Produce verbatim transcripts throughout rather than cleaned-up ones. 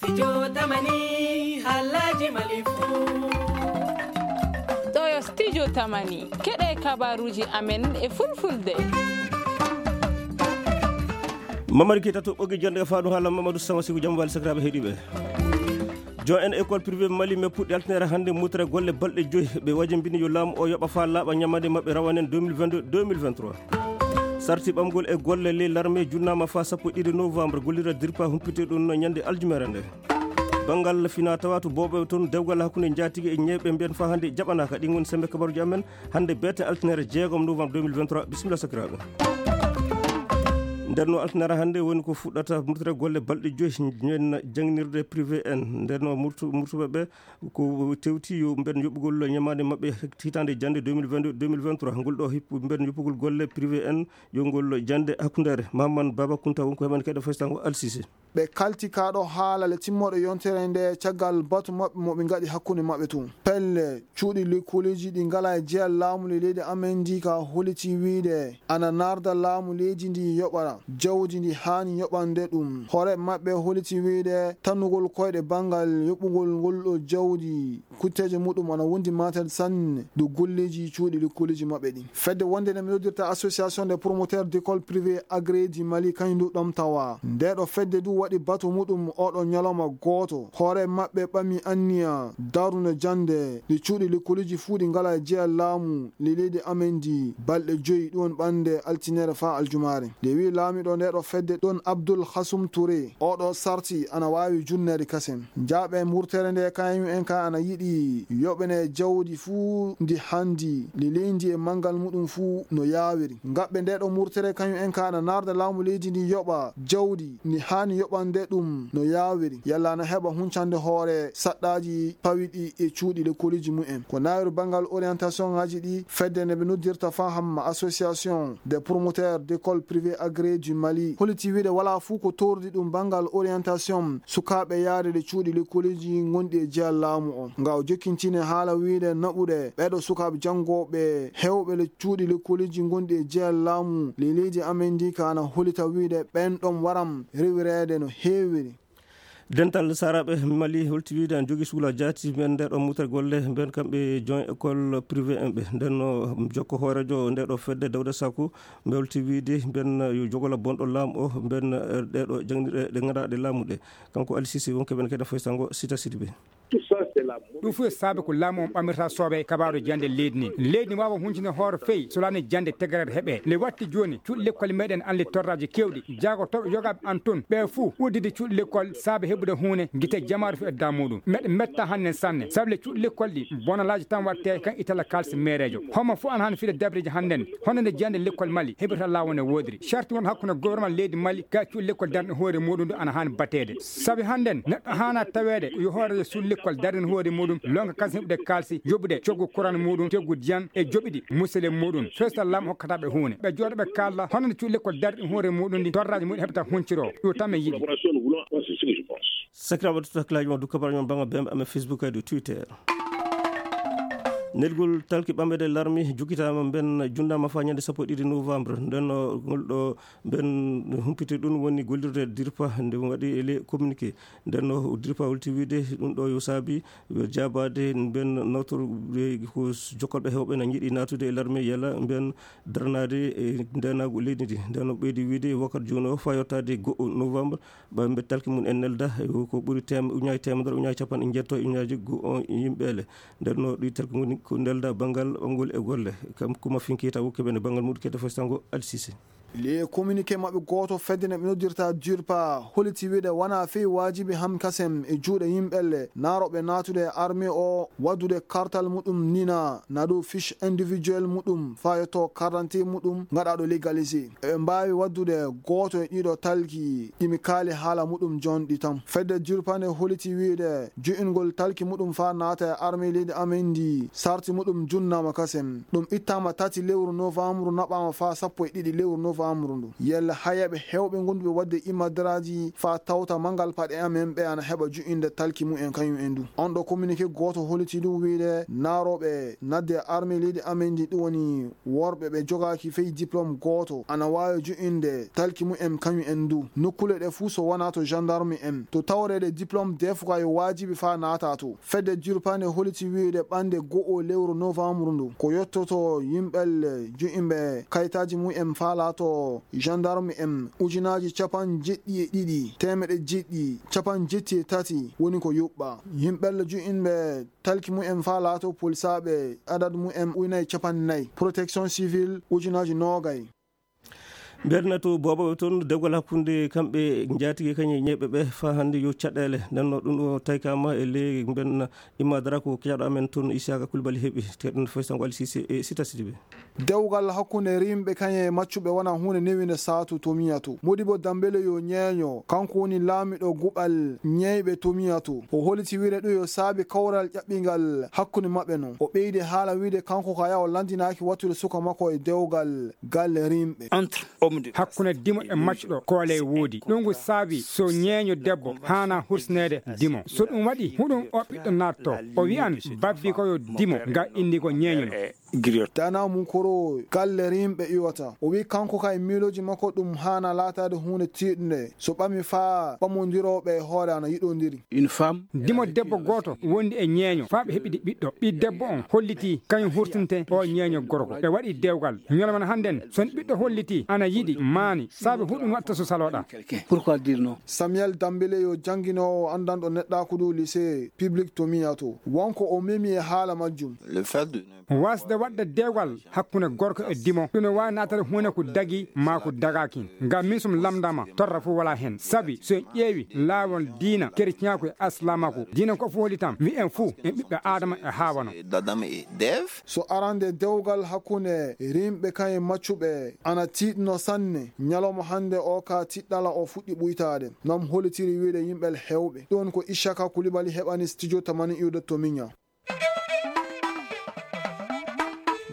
Studio Tamani, halaji Mali fu. Ɗo yo Studio Tamani, keɗe kabaruji amen e fulfulde. Mamadi Keita to ɓoggi jonde, faɗum haala Mamadou Sama Siku, jam wali sakiraaɓe heɗiɓe. Jon en école privée Mali, mais puɗɗi altinere hannde mutre golle balɗe joyi. Ɓe wajimbini yo laamu o yoɓa faa laaɓa ñamande maɓɓe rawanen deux mille vingt-deux deux mille vingt-trois. Sarti ɓamgol e golle ley larme junnaama faa sappo e ɗiɗi novembre, gollira dirpa humpite ɗum no ñande aljumere nde. Banngal fina tawa to booɓe toon, dewgal hakkunde njaatige e ñeeɓe mbiyen faa hannde jaɓanaaka. Ɗin woni sembe kabaruji amen hannde beete altinere jeegom novembre deux mille vingt-trois. Bisimilla sakiraaɓe. Nden no altinere hannde woni ko fuɗɗata murtere golle balɗe joyi ñen jangnirde privé en. Nden no murtu-, murtuɓe ɓe ko tewti yo mben yoɓugol ñamaande maɓɓe hitaande jannde deux mille vingt-deux deux mille vingt-trois. Ngol ɗo hip-, mben yoɓugol golle privé en, yo ngol jannde hakkundeere. Maman Baba Kunta won ko heɓen keɗe festango Alsise. Ɓe kalti kaa ɗo haala le timmooɗo yontere nde caggal batu maɓɓe mo ɓe ngaɗi hakkunde maɓɓe tun. Pelle cuuɗi lekkoleeji ɗi ngalaa e jeyal laamu le leydi amen ndi ka holiti wiide ana naarda laamu leydi ndi yoɓa jawdi ndi haani yoɓande ɗum. Hoore maɓɓe holiti wiide tannugol koyɗe banngal yoɓugol ngol ɗo jawdi kutteeje muɗum ana wondi matel sanne dow golleeji cuuɗi lekkoleeji maɓɓe ɗin. Fedde wonde nde mi noddirta Association des promoteurs d'écoles privées agréées du Mali, kañum ndu ɗom tawa. Nde ɗo fedde ndu waɗi batu muɗum oɗo ñalawma gooto. Hoore maɓɓe ɓami anniya darnude jannde ɗi cuuɗi lekkoleeji fuu ɗi ngalaa e jeyal laamu le leydi amen ndi balɗe joyi, ɗum woni ɓannde altinere faa aljumaare. Nde wi'i laamiɗo nde ɗo fedde ɗon Abdul Hasum Touré, oɗo sarti ana waawi junneede kasen. Njaaɓe murtere nde kañum en ka ana yiɗi yoɓene jawdi fuu ndi handi, ndi leydi e manngal muɗum fuu no yaawiri. Ngaɓɓe nde ɗo murtere kañum en ka ana naarda laamu leydi ndi yoɓa jawdi ndi haani yoɓande ɗum no yaawiri. Yalla ana heɓa huncande hoore saɗɗaaji pawiɗi e cuuɗi lekkooliji mumen. Ko naawiri banngal orientation ngaji ɗi fedde nde ɓe noddirta faa hamma Association des promoteurs d'écoles privées agréées du Mali holiti wiide walaa fuu ko tordi ɗum banngal orientation sukaaɓe yaade ɗe cuuɗi lekkoleeji ngonɗi e jeyal laamu on. Nga o jokkintini haala wiide naɓuɗe ɓeeɗo sukaaɓe janngooɓe heewɓe le cuuɗi lekkoleeji ngonɗi e jeyal laamu le leydi amen ndi ka ana holita wiide ɓen ɗon waram rewireede no heewiri. Dental Saaraaɓe Mali holti wiide ana jogii sukla jaati mben nde ɗo mutre golle mben kamɓe jon école privé en ɓe. Nden no jokko hooreejo nde ɗo fedde Dawda Saku mbe holti wiide mben yo jogola bonɗo laamu o mben, eh, ɗe ɗo jangɗe ɗe ngannduɗaa ɗe laamu ɗe. Kanko Ali Sisi wonko ɓen kadi foy sango Sita Sidibe. Ɗum fof e saabe ko laamu on ɓamirta sooɓe e kabaaru jannde leydi ni. Leydi ni waawa huncinde hoore fey so laani jannde tegerere heɓe. Nde watti jooni cuuɗi lekkol meɗen anli torraji kewɗi. Jaagotooɓe yogaaɓe an toon, ɓe fuu uddidi cuuɗi lekkol saabe heɓude huune gite jamaaru fii e daa muuɗum. Meɗe metta hannden sanne, sabu le cuuɗi lekkol ɗi bonalaaji tan waɗte kan itala kaalisi meereejo. Homo fuu ana haani fiide dabreeji hannden, hono nde jannde lekkol Mali heɓirta laawol ne woodiri. Sarti wonɓe hakkunde gouvernement leydi Mali ka cuuɗi lekkol darni hoore muuɗum ɗo ana haani bateede. Sabi hannden neɗɗo haana taweede yo hooreejo suuɗi lekkol darni hoore muuɗum, lonka kansi heɓude kaalisi, yoɓude coggu courant muuɗum, coggu diyan e joɓiɗi musele muuɗum. Feestal laamu hokkata ɓe huune. Ɓe jooɗo ɓe kaala hono nde cuuɗi lekkol darɗi hoore muuɗum ndi torraaji mumen heɓata hunciro. Ɗum tan mi yiɗi. Sakiraaɓe, to hakkilaaji mon du kabaruji mon banngal bembe amen Facebook e dow Twitter. Nelgol talki ɓamɓe ɗe larmi jukitaama mben junnaama faa ñande sappo e ɗiɗi novembre. Nden no ngol ɗo mben humpiti ɗum woni gollirde dirpa nde waɗi e le communiqué. Nden no dirpa holti wiide ɗum ɗo yo saabi jaabaade mben nawtor ko jokkolɓe heewɓe na njiɗi naatude e larme yala mben darnaade e ndenaagu leydi ndi. Nden no ɓeydi wiide wakkati jooni o faa yottaade go'o novembre ɓamɓe talki mum en nelda ko ɓuri tem-, uñaaji teemedere, uñaaji capanɗe njeetto, uñaaji go-, on yimɓeele. Nden no ɗi talki ngoni ko nelda banngal ɓamgol e golle. Kam kuma finkiita wokkeɓe ne banngal muɗum kete fostango Alsise. Le communiqué maɓɓe gooto fedde ne ɓe noddirta durpa holiti wiide wona fii waajibi ham kasem e juuɗe yimɓelle naarooɓe naatude e armée o waddude kartal muɗum nina na dow fiche individuel muɗum faa yotto carte d'identité muɗum ngaɗaaɗo légalisé. Eɓe mbaawi waddude gooto e ɗiɗo talki ɗi mi kaali haala muɗum jonɗi tan. Fedde durpa nde holiti wiide ju'ingol talki muɗum faa naata e armée leydi amen ndi sarti muɗum junnaama kasem. Ɗum ittaama tati lewru novembre naɓaama faa sappo e ɗiɗi lewru novembre. Amru ndu. Yalla hayaɓe hewɓe gonduɓe wadde imadraji fa tawta mangal paɗe amen ɓe ana heɓa ju'inde talki mumen kañum en du. On ɗo communiqué gooto holliti ɗum wiyde naarooɓe nadde armée leydi amen ndi ɗum woni worɓe ɓe jogaaki fey diplôme gooto ana waawi ju'inde talki mumen kañum en du. Nokkule ɗe fuu so wonaa to gendarme en, to tawreede diplôme defuka yo waajibi fa naata to. Fedde jurpande holliti wiyde ɓande go'o lewru novembre ndu ko yottoto yimɓel ju'imɓe kayitaaji mumen fa laato gendarme en ujunaaji capanɗe jeɗɗi e ɗiɗi, teemeɗe jeɗɗi, capanɗe jeɗɗi e tati woni ko yuɓɓa. Yimɓel ju'inɓe talki mumen fa laato polisaaɓe adad mumen ujunaaji capanɗe nayi, protection civile ujunaaji noogay. Mbernatu boobo toon dewgal hakkunde kamɓe njaatige kañe ñeeɓe ɓe fa hannde yo caɗeele. Nden no ɗum o taykama e ley mben imadara ko keɗaɗo amen toon Isaka Kulbali heɓi teɗen faysango Ali Sise e Sita Sidibe. Dewgal hakkunde rimɓe kañe maccuɓe wona huunde newinde saatu to miyato. Modibo Dambele yo ñeeño, kanko woni laamiɗo guɓal ñeeyɓe to miyato. O holiti wire ɗum yo saabi kawral ƴaɓɓingal hakkunde maɓɓe non. O ɓeydi haala wide kanko kaya o landinaaki wattude suka makko e dewgal galle rimɓe. Entre homme de hakkunde dimo e maccuɗo koole woodi. Ɗum ko saabi so ñeeño debbo haana hursineede dimo. So ɗum waɗi, huɗum o ɓiɗɗo naatto. O wi'an babbi ko yo dimo, nga indi ko ñeeño non. Griot. Tana mum koro galle rimɓe iwata. O wi kanko kay miilooji makko ɗum haana laataade huunde tiiɗnde. So ɓami faa ɓamondirooɓe e hoore ana yiɗondiri. Une femme. Dimo debbo gooto wondi e ñeeño faa ɓe heɓidi ɓiɗɗo. Ɓi debbo on hollitii kañum hurtinte o ñeeño gorko. Ɓe waɗi dewgal. Ñalawma hannden, so on ɓiɗɗo hollitii ana yiɗi maani, saabe huɗum watta so saloɗa. Pourquoi dire non? Samuel Dambele yo jannginoowo anndanɗo neɗɗaaku dow lycée public to Miyato. Wonko o memi e haala majjum. Le fait de ne Wasde waɗde dewgal hakkunde gorko e dimo, ɗum ne waawi naatade huunde ko dagi maa ko dagaaki. Ngam min, so mi lamndaama, torra fof walaa heen. Sabi, so en ƴeewi laawol diina, kereciyaaku e aslamaku, diina ko fof hollitam, wi en fuu en ɓiɓɓe Aadama e Haawa no. D'Adam et d'Ève. So arande dewgal hakkunde rimɓe kañum e maccuɓe ana tiiɗno sanne, ñalawma hannde o ka tiɗɗala o fuɗɗi ɓuytaade. Noon hollitiri wiyde yimɓe heewɓe. Ɗoon ko Ishaka Kulibali heɓani studio tamani iwde to Miña.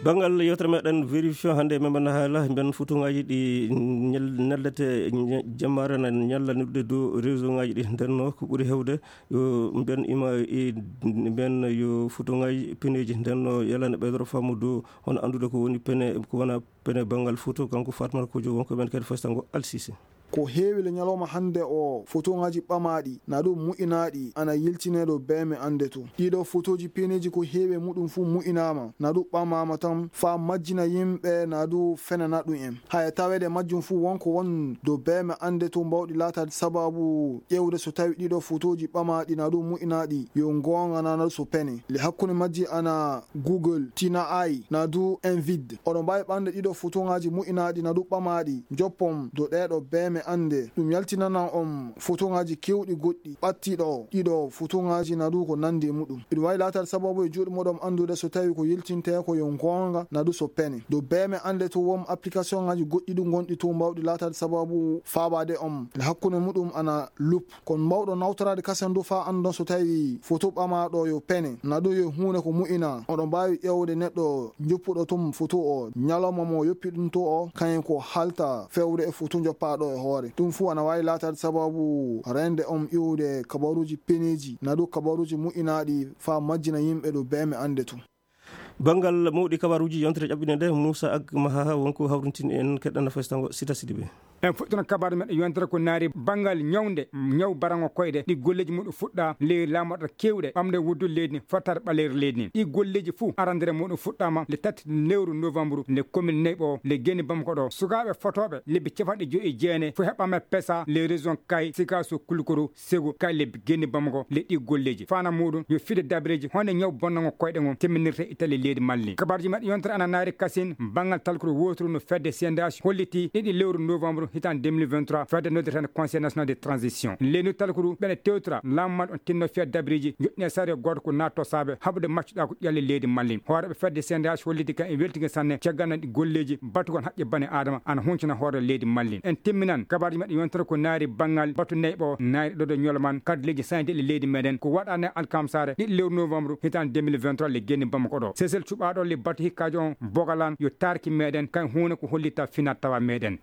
Banngal yewtere meɗen vérifié hannde, men mbaɗa haala mben fotoŋaaji ɗi ñal-, ñallete ña-, jammaare na ñalla noddude dow réseau ŋaaji ɗi. Nden no ko ɓuri heewde yo mben ima e mben yo fotoŋaaji peneeji. Nden no yalande ɓeydoro faamu dow hono anndude ko woni pene, ko wona pene banngal foto, kanko Fatmata Kojo wonko men kadi fastango Alsise. Ko heewi le ñalawma hannde o fotoŋaaji ɓamaaɗi na ɗum mu'inaaɗi ana yiltinee ɗo beeme annde to. Ɗiɗo fotooji peneeji ko heewi e muɗum fuu mu'inaama na ɗum ɓamaama tan faa majjina yimɓe na ɗum fenana ɗum en. Haya taweede majjum fuu wonko won ɗo beeme annde to mbawɗi laataade sababu ƴeewde so tawi ɗiɗo fotooji ɓamaaɗi na ɗum mu'inaaɗi yo ngoonga na na so pene. Le hakkunde majji ana Google, Tina Ai, na du Envid. Oɗon mbaawi ɓamde ɗiɗo fotoŋaaji mu'inaaɗi na du ɓamaaɗi, njoppon do ɗeeɗo beeme annde. Ɗum yaltinana on fotoŋaaji keewɗi goɗɗi, ɓattiɗo ɗiɗo fotoŋaaji na du ko nanndi e muɗum. Iɗum waawi laataade sababu e juuɗe muɗum anndude so tawi ko yiltintee ko yo ngoonga na du so pene. Do beeme annde to won application ŋaaji goɗɗi du ngonɗi to mbawɗi laataade sababu faabaade on. E hakkunde muɗum ana lup. Kono mbawɗo nawtoraade kasen du faa anndon so tawi foto ɓamaaɗo yo pene, na ɗum yo huunde ko mu'ina. Oɗon mbaawi ƴeewde neɗɗo njoppuɗo tun foto o, ñalawma mo yoppi ɗum to o, kañum ko halta fewde e foto njoppaaɗo e hoore. Ɗum fuu ana waawi laataade sababu reende on iwde kabaruuji peneeji, na ɗum kabaruuji mu'inaaɗi faa majjina yimɓe ɗo beeme annde tun. Banngal mawɗi kabaruuji yontere ƴaɓɓinde nde, Moussa Ag Mahaha wonko hawrintin en keɗɗana festango Sita Sidibe. En fuɗɗono kabaru meɗen yontere ko naari banngal ñawnde, ñaw barango koyɗe, ɗi golleeji muɗum fuɗɗa leydi laamorɗe keewɗe, ɓamde wuddu leydi ndi, fottaade ɓaleeri leydi ndi. Ɗi golleeji fuu arandere muɗum fuɗɗaama le tati lewru novembre, le commune Neyɓo, le Geni Bamako ɗo. Sukaaɓe fotooɓe lebbi capanɗe joyi e jeenayi fuu heɓaama pesa le région Kay, Sikaso, Kulukoro, Sego, kay lebbi genni Bamako le ɗi golleeji. Faana muɗum yo fide dabareeji honde ñaw bonnango koyɗe ngon timminirte Italie leydi Mali. Kabaruji maɓɓe yontere ana naari kasin banngal talkuru woturu no fedde C N D H holliti ɗiɗi lewru novembre hitan deux mille vingt-trois fedde noddirtende Conseil National de Transition. Leydi talkuru ɓene tewtora laamu maɓɓe on tinno fiya dabareeji joɗɗine sariya gooto ko naatto saabe haɓude maccuɗa ko ƴalle leydi Mali. Hooreɓe fedde C N D H holliti kan e weltige sanne caggal nan ɗi golleeji batugol haqqe bani Adama ana huncina hoore leydi Mali. En timminan kabaruji maɓɓe yontere ko naari banngal batu neyɓo naari ɗo ɗo ñolo man kadi leydi sañde e leydi meɗen ko waɗane alkamsare ɗiɗi lewru novembre hitan deux mille vingt-trois le genni Bamako ɗo. Sesel cuɓaɗo le batu hikkaajo on bogalan yo tarki meɗen kan huune ko hollitta finat tawa meɗen.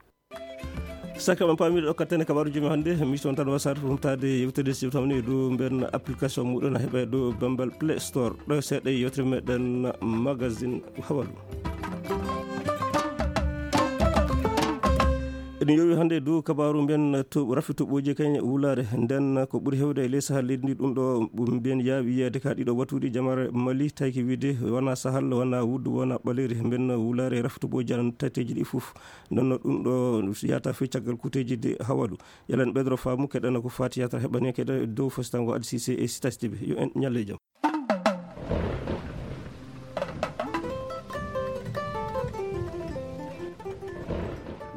Saka ɓen paamiɗo ɗo kattene kabaaruji men hannde, mi son tan wasaade humtaade yewtere si tawni dow mben application muɗum na heɓe dow Bambal Play Store. Ɗo seeɗa e yewtere meɗen magazine hawalu. Eɗen yowi hannde dow kabaaru mbiyen to rafi toɓɓooji kañ wulaare nden ko ɓuri hewde e ley sahal leydi ndi. Ɗum ɗo mbiyen yaawi yiyeede ka ɗiɗo watuuɗi jamare Mali tawki wiide wona sahal, wona wuddu, wona ɓaleeri mbiyen wulaare rafi toɓɓooji an tateeji ɗi fof. Nden no ɗum ɗo yata fii caggal kuuteeji de hawalu. Yalan ɓeydoro faamu keɗana ko faati yata heɓani keɗa dow fositango adisise e sitasidiɓe. Yo en ñalle jam.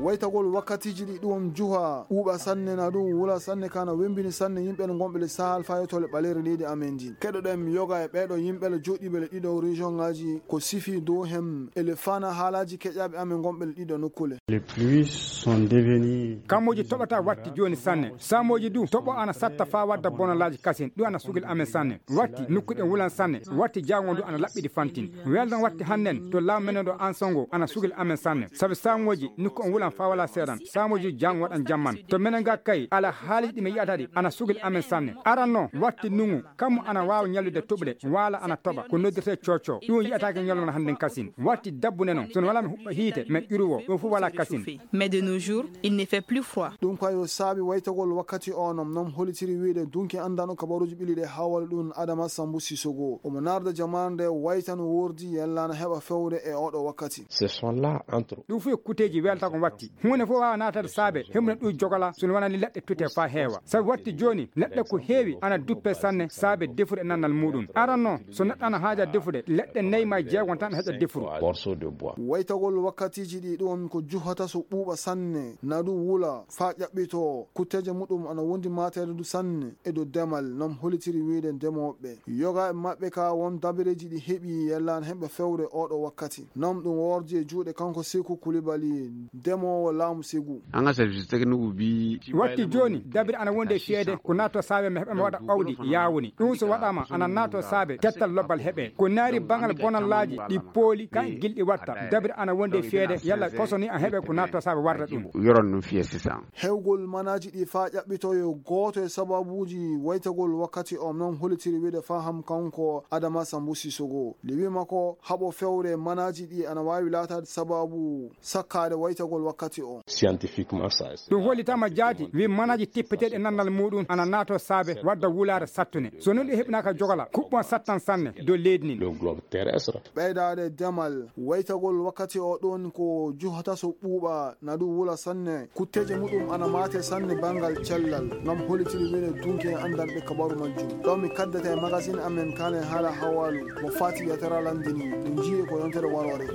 Waytagol wakkatiiji ɗi ɗum juha ɓuuɓa sanne na ɗum wula sanne kana wembini sanne yimɓe no gonɓe le sahal fayotole ɓaleere leydi amen ndin. Keɗoɗen mi yoga e ɓeeɗo yimɓe le joɗɗiɓe le ɗiɗo région ngaji ko sifi dow hem ele fana haalaji keƴaɓe amen gonɓe le ɗiɗo nokkule. Les pluies sont devenues. Kammuji toɓata watti joni sanne. Samoji du toɓo ana satta fa wadda bonolaji kasin. Ɗum ana sugil amen sanne. Watti nokkuɗen wulan sanne. Watti jango ndu ana laɓɓiɗi fantin. Weldan watti hannen to law menen ɗo ansongo ana sugil amen sanne. Sabi samoji nokku on wulan fa wala seeɗan. Samoji jango waɗan jamman. To menen ga kay ala haaliji ɗi mi yi'ata ɗi ana sugil amen sanne. Aran no watti nungu. Kammu ana waawa ñallude tuɓle, waala ana toɓa, ko noddirtee cooco. Ɗum yi'ataake ñalawma hannden kasin. Watti dabbude noon, so no walaa mi huɓɓa hiite, mi ƴuruwo, ɗum fof walaa kasin. Mais de nos jours, il ne fait plus froid. Ɗum kay o saabi waytagol wakkati o, non non holitiri wiyde dunki anndano kabaruuji ɓili ɗe hawal ɗum Adama Sambu Sissogo. Omo naarda jamaande waytan wordi yellana heɓa fewde e oɗo wakkati. Ce sont là, entre Ɗum fof e kuteeji welta ko watti. Huunde fof waawa naatade saabe, heɓude ɗum jogola, so wonani leɗɗe tute faa heewa. Sabu watti jooni, leɗɗe ko heewi ana duppe sanne saabe defude e nannal muuɗum. Aran noon, so neɗɗo ana haaja defude, leɗɗe nayi maa jeegon tan heƴa defuru. Morceau de bois. Waytagol wakkatiiji ɗi ɗoon ko juhata so ɓuuɓa sanne, na ɗum wula, faa ƴaɓɓitoo, kutteeje muɗum ana wondi maateede du sanne e dow demal, non holitiri wiyde ndemooɓe. Yoga e maɓɓe ka won dabareeji ɗi heɓi yellaan heɓe fewre oɗo wakkati. Nam ɗum wordi e juuɗe kanko Seku Kulibali, demoowo laamu Segu. An ka service technique bi. Watti jooni, dabiri ana wonde e fiyeede ko naatto saabe mi heɓa mi waɗa awdi yaawuni. Ɗum so waɗaama ana naatto saabe tettal lobbal heɓe. Ko naari bangal bonallaaji ɗi pooli ka gilɗi watta. Dabiri ana wonde e fiyeede yalla koso ni a heɓe ko naatto saabe warda ɗum. Yoron ɗum fiye sisan. Hewgol manaaji ɗi faa ƴaɓɓitoyo gooto e sababuuji waytagol wakkati o non holitiri wiide faham kanko Adama Sambu Sissogo. Liwi makko haɓo fewre manaaji ɗi ana waawi laataade sababu sakkaade waytagol wakkati o. Scientifiquement ça. Ɗum hollitaama jaati wi manaaji tippeteeɗi e nannal muuɗum ana naatoo saabe wadda wulaare sattunde. So non ɗi heɓinaaka jogola, kuɓɓon sattan sanne dow leydi ndin. Le globe terrestre. Ɓeydaade demal, waytagol wakkati o ɗoon ko juhata so ɓuuɓa, na ɗum wula sanne. Kutteeje muɗum ana maate sanne banngal cellal. Ngam holitiri wene dunke e anndanɓe kabaru majjum. Ɗo mi kaddata e magasin amen kaane haala hawaalu. Mo faati yetara lanndini. Ɗum jiye ko yontere waroore.